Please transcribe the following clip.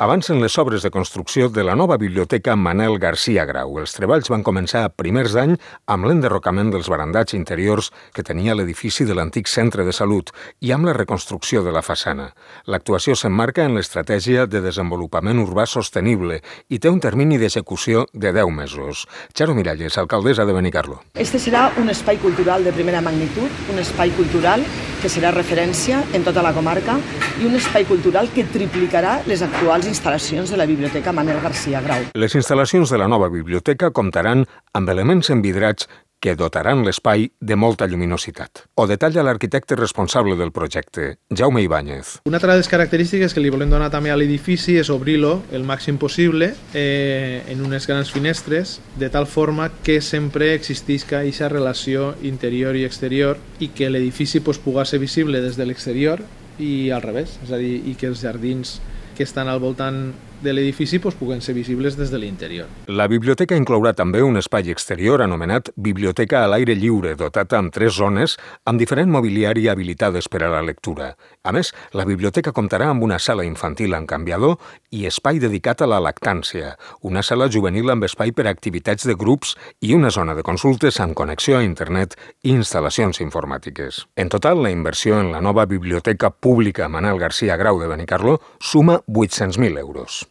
Avancen les obres de construcció de la nova biblioteca Manel Garcia Grau. Els treballs van començar a primers d'any amb l'enderrocament dels barandats interiors que tenia l'edifici de l'antic centre de salut i amb la reconstrucció de la façana. L'actuació s'emmarca en l'estratègia de desenvolupament urbà sostenible i té un termini d'execució de 10 mesos. Charo Miralles, alcaldessa de Benicarló. Este serà un espai cultural de primera magnitud, un espai cultural que serà referència en tota la comarca i un espai cultural que triplicarà les actuals instal·lacions de la Biblioteca Manel Garcia Grau. Les instal·lacions de la nova biblioteca comptaran amb elements envidrats que dotaran l'espai de molta lluminositat. Ho detalla l'arquitecte responsable del projecte, Jaume Ibáñez. Una altra de les característiques que li volem donar també a l'edifici és obrir-lo el màxim possible en unes grans finestres, de tal forma que sempre existisca aquesta relació interior i exterior i que l'edifici pugui ser visible des de l'exterior i al revés, és a dir, i que els jardins que estan al voltant de l'edifici puguen ser visibles des de l'interior. La biblioteca inclourà també un espai exterior anomenat Biblioteca a l'aire lliure, dotat amb 3 zones amb diferent mobiliari habilitades per a la lectura. A més, la biblioteca comptarà amb una sala infantil amb canviador i espai dedicat a la lactància, una sala juvenil amb espai per a activitats de grups i una zona de consultes amb connexió a internet i instal·lacions informàtiques. En total, la inversió en la nova biblioteca pública Manel Garcia Grau de Benicarló suma 800.000 euros.